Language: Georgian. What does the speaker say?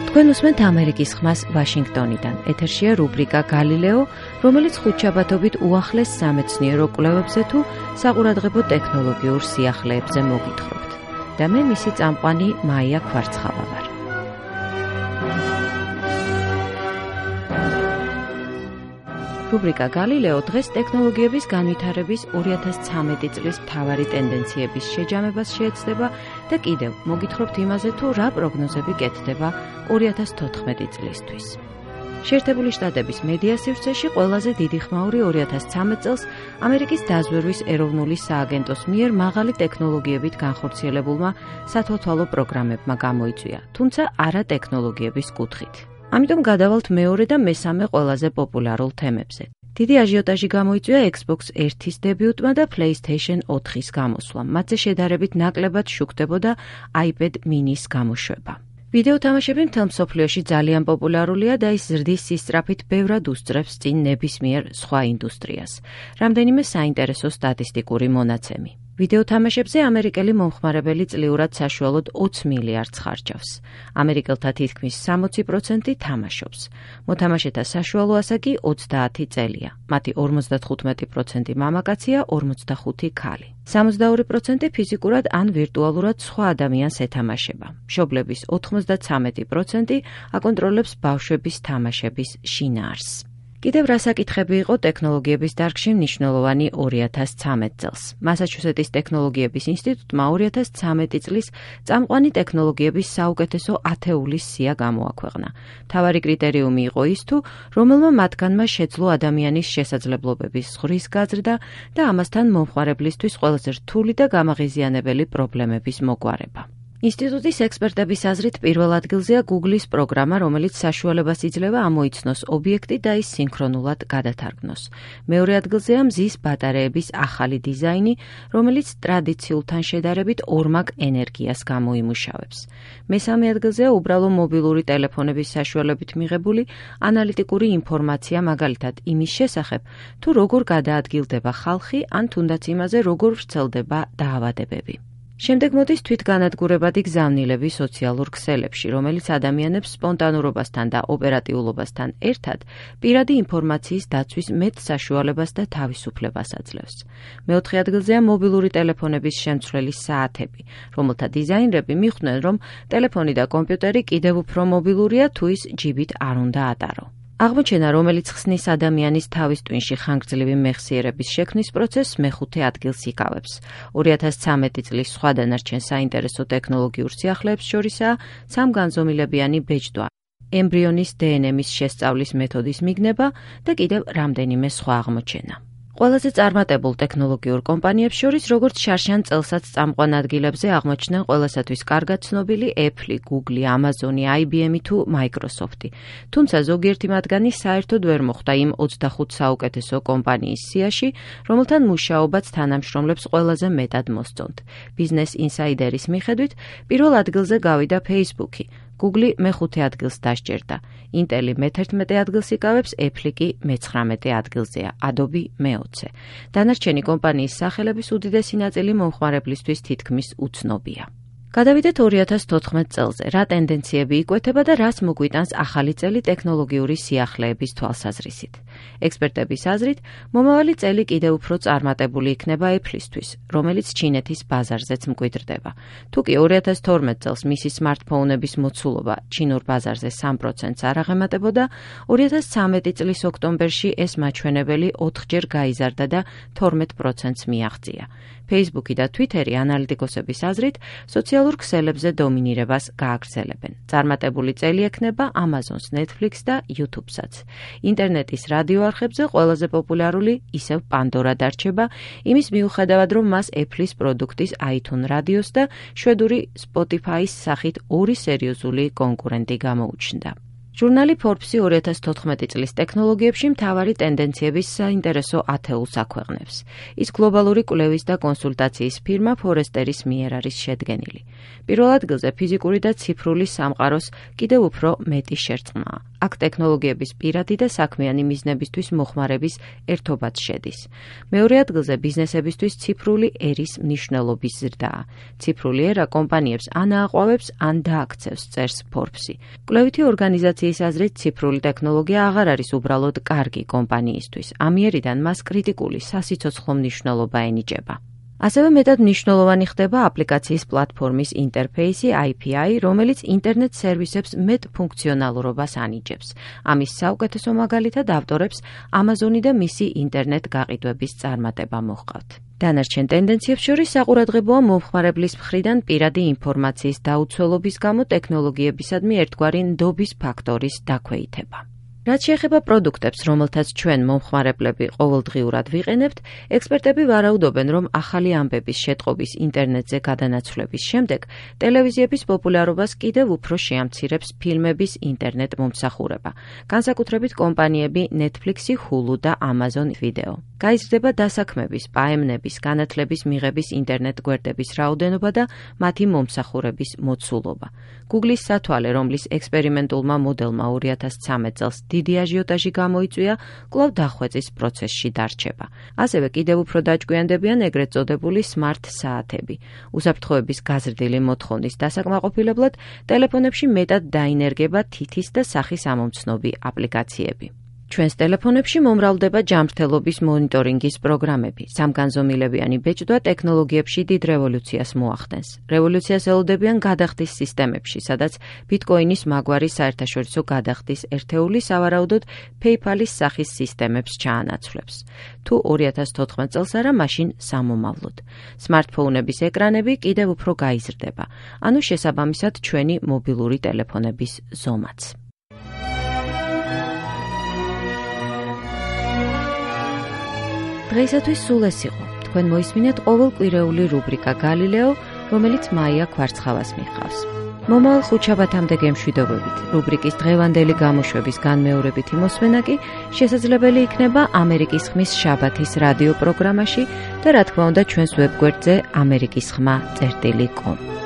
თქვენ უსმენთ ამერიკის ხმას ვაშინგტონიდან. ეთერშია რუბრიკა გალილეო, რომელიც ხუთშაბათობით უახლეს სამეცნიერო კვლევებზე თუ საყურადღებო ტექნოლოგიურ სიახლეებზე მოგითხრობთ. და მე მისი წამყვანი მაია ქვარცხავა ვარ. რუბრიკა გალილეო დღეს ტექნოლოგიების განვითარების 2013 წლის მთავარი ტენდენციების შეჯამებას შეეცდება და კიდევ მოგითხრობთ იმაზე თუ რა პროგნოზები კეთდება 2014 წლისთვის. შეერთებული შტატების მედია სივრცეში ყველაზე დიდი ხმაური 2013 წელს ამერიკის დაზვერვის ეროვნული სააგენტოს მიერ მაღალი ტექნოლოგიებით განხორციელებულმა სათვალთვალო პროგრამებმა გამოიწვია, თუმცა არა ტექნოლოგიების კუთხით. ამიტომ გადავალთ მეორე და მესამე ყველაზე პოპულარულ თემებზე. დიდი აჟიოტაჟი გამოიწვია Xbox 1-ის დებიუტმა და PlayStation 4-ის გამოსვლამ. მათზე შედარებით ნაკლებად შუქდებოდა iPad mini-ის გამოშვება. ვიდეო თამაშები მთელ მსოფლიოში ძალიან პოპულარულია და ის ზრდის სისწრაფით ბევრად უსწრებს წინ ნებისმიერ სხვა ინდუსტრიას. რამდენიმე საინტერესო სტატისტიკური მონაცემი. ვიდეო თამაშებზე ამერიკელი მომხმარებელი წლიურად საშუალოდ 20 მილიარდს ხარჯავს. ამერიკელთა თითქმის 60% თამაშობს. მოთამაშეთა საშუალო ასაკი 30 წელია. მათი 55% მამაკაცია, 45 ქალი. 62% ფიზიკურად ან ვირტუალურად სხვა ადამიანს ეთამაშება. მშობლების 93% აკონტროლებს ბავშვების თამაშების შინაარსს. კიდევ რა საკითხები იყო ტექნოლოგიების დარგში მნიშვნელოვანი 2013 წელს. მასაჩუსეტის ტექნოლოგიების ინსტიტუტმა 2013 წლის წამყვანი ტექნოლოგიების საუკეთესო ათეულის სია გამოაქვეყნა. მთავარი კრიტერიუმი იყო ის თუ რომელმა მათგანმა შეძლო ადამიანის შესაძლებლობების ზღვის გაზრდა და ამასთან მომხმარებლისთვის ყველაზე რთული და გამაღიზიანებელი პრობლემების მოგვარება. ინსტიტუტის ექსპერტების აზრით პირველ ადგილზეა Google-ის პროგრამა, რომელიც საშუალებას იძლევა ამოიცნოს ობიექტი და ის სინქრონულად გადათარგმნოს. მეორე ადგილზეა მზის ბატარეების ახალი დიზაინი, რომელიც ტრადიციულთან შედარებით ორმაგ ენერგიას გამოიმუშავებს. მესამე ადგილზეა უბრალო მობილური ტელეფონების საშუალებით მიღებული ანალიტიკური ინფორმაცია, მაგალითად იმის შესახებ, თუ როგორ გადაადგილდება ხალხი, ან თუნდაც იმაზე, როგორ ვრცელდება დაავადებები. შემდეგ მოდის თვითგანადგურებადი გზავნილები სოციალურ ქსელებში, რომელიც ადამიანებს სპონტანურობასთან და ოპერატიულობასთან ერთად პირადი ინფორმაციის დაცვის მეტ საშუალებას და თავისუფლებას აძლევს. მეოთხე ადგილზეა მობილური ტელეფონების შემცვლელი საათები, რომელთა დიზაინერები მიხვდნენ, რომ ტელეფონი და კომპიუტერი კიდევ უფრო მობილურია თუ ის ჯიბით არ უნდა ატარო. აღმოჩენა, რომელიც ხსნის ადამიანის თავის ტვინში ხანგრძლივი მეხსიერების შექმნის პროცესს მეხუთე ადგილს იკავებს. 2013 წლის სხვა დანარჩენ საინტერესო ტექნოლოგიურ სიახლეებს შორისაა სამგანზომილებიანი ბეჭდვა, ემბრიონის DNM-ის შესწავლის მეთოდის მიგნება და კიდევ რამდენიმე სხვა აღმოჩენა. ყველაზე წარმატებულ ტექნოლოგიურ კომპანიებს შორის, როგორც შარშან წელსაც წამყვან ადგილებზე აღმოჩნდნენ ყველასათვის კარგად ცნობილი Apple, Google, Amazon, IBM თუ Microsoft. თუმცა ზოგიერთი მათგანი საერთოდ ვერ მოხვდა იმ 25 საუკეთესო კომპანიის სიაში, რომელთან მუშაობაც თანამშრომლებს ყველაზე მეტად მოსწონთ. Business Insider-ის მიხედვით, პირველ ადგილზე გავიდა Facebook-ი. Google მე-5 ადგილს დასჯერდა. Intel მე-11 ადგილს იკავებს, Apple კი მე-19 ადგილზეა, Adobe მე-20. დანარჩენი კომპანიის სახელების უდიდესი ნაწილი მომხმარებლისთვის თითქმის უცნობია. გადავიდეთ 2014 წელზე, რა ტენდენციები იკვეთება და რას მოგვიტანს ახალი წელი ტექნოლოგიური სიახლეების თვალსაზრისით. ექსპერტების აზრით, მომავალი წელი კიდევ უფრო წარმატებული იქნება Apple-ისთვის, რომელიც ჩინეთის ბაზარზეც მკვიდრდება. თუკი 2012 წელს მისი სმარტფონების მოცულობა ჩინურ ბაზარზე 3%-ს არ აღემატებოდა, 2013 წლის ოქტომბერში ეს მაჩვენებელი 4-ჯერ გაიზარდა და 12%-ს მიაღწია. Facebook-ი და Twitter-ი ანალიტიკოსების აზრით სოციალურ ქსელებზე დომინირებას გააგრძელებენ. წარმატებული წელი ექნება Amazon-ს, Netflix და YouTube-საც. ინტერნეტის რადიო არხებზე ყველაზე პოპულარული ისევ Pandora დარჩება, იმის მიუხედავად, რომ მას Apple-ის პროდუქტის iTunes რადიოს და შვედური Spotify-ის სახით ორი სერიოზული კონკურენტი გამოუჩნდა. ჟურნალი Forbes 2014 წლის ტექნოლოგიებში მთავარი ტენდენციების საინტერესო ათეულს აქვეყნებს. ის გლობალური კვლევის და კონსულტაციის ფირმა Forrester-ის მიერ არის შედგენილი. პირველ ადგილზე ფიზიკური და ციფრული სამყაროს კიდევ უფრო მეტი შერწყმაა. აქ ტექნოლოგიების პირადი და საქმიანი მიზნებისთვის მოხმარების ერთობაც შედის. მეორე ადგილზე ბიზნესებისთვის ციფრული ერის მნიშვნელობის ზრდაა. ციფრული ერა კომპანიებს ან ააყვავებს, ან დააქცევს, წერს Forbes-ი. კვლევითი ორგანიზაციის აზრით, ციფრული ტექნოლოგია აღარ არის უბრალოდ კარგი კომპანიისთვის. ამიერიდან მას კრიტიკული სასიცოცხლო მნიშვნელობა ენიჭება. ასევე მეტად მნიშვნელოვანი ხდება აპლიკაციის პლატფორმის ინტერფეისი API, რომელიც ინტერნეტ სერვისებს მეტ ფუნქციონალურობას ანიჭებს. ამის საუკეთესო მაგალითად ავტორებს Amazon-ი და მისი ინტერნეტ გაყიდვების წარმატება მოჰყავთ. დანარჩენ ტენდენციებს შორის საყურადღებოა მომხმარებლის მხრიდან პირადი ინფორმაციის დაუცველობის გამო ტექნოლოგიებისადმი ერთგვარი ნდობის ფაქტორის დაქვეითება. რაც შეეხება პროდუქტებს, რომელთაც ჩვენ მომხმარებლები ყოველდღიურად ვიყენებთ, ექსპერტები ვარაუდობენ, რომ ახალი ამბების შეტყობის ინტერნეტზე გადანაცვლების შემდეგ ტელევიზიების პოპულარობას კიდევ უფრო შეამცირებს ფილმების ინტერნეტ მომსახურება, განსაკუთრებით კომპანიები Netflix-ი, Hulu და Amazon Video. გაიზრდება დასაქმების, პაემნების, განათლების მიღების ინტერნეტ გვერდების რაოდენობა და მათი მომსახურების მოცულობა. Google-ის სათვალე, რომლის ექსპერიმენტულმა მოდელმა 2013 წელს დიდი აჟიოტაჟი გამოიწვია, კვლავ დახვეწის პროცესში დარჩება. ასევე კიდევ უფრო დაჭკვიანდებიან ეგრეთ წოდებული smart საათები. უსაფრთხოების გაზრდილი მოთხოვნის დასაკმაყოფილებლად ტელეფონებში მეტად დაინერგება თითის და სახის ამომცნობი აპლიკაციები. ჩვენს ტელეფონებში მომრავლდება ჯანმრთელობის მონიტორინგის პროგრამები. სამგანზომილებიანი ბეჭდვა ტექნოლოგიებში დიდ რევოლუციას მოახდენს. რევოლუციას ელოდებიან გადახდის სისტემებში, სადაც ბიტკოინის მაგვარი საერთაშორისო გადახდის ერთეული სავარაუდოდ PayPal-ის სახის სისტემებს ჩაანაცვლებს. თუ 2014 წელს არა, მაშინ სამომავლოდ. სმარტფონების ეკრანები კიდევ უფრო გაიზრდება, ანუ შესაბამისად ჩვენი მობილური ტელეფონების ზომაც. დღეისათვის სულ ეს იყო. თქვენ მოისმინეთ ყოველკვირეული რუბრიკა Galileo, რომელიც მაია კვარცხავას მიჰყავს. მომავალ ხუთშაბათამდე გემშვიდობებით. რუბრიკის დღევანდელი გამოშვების განმეორებითი მოსმენა კი შესაძლებელი იქნება ამერიკის ხმის შაბათის რადიო პროგრამაში და რა თქმა უნდა ჩვენს ვებგვერდზე amerikisxma.com.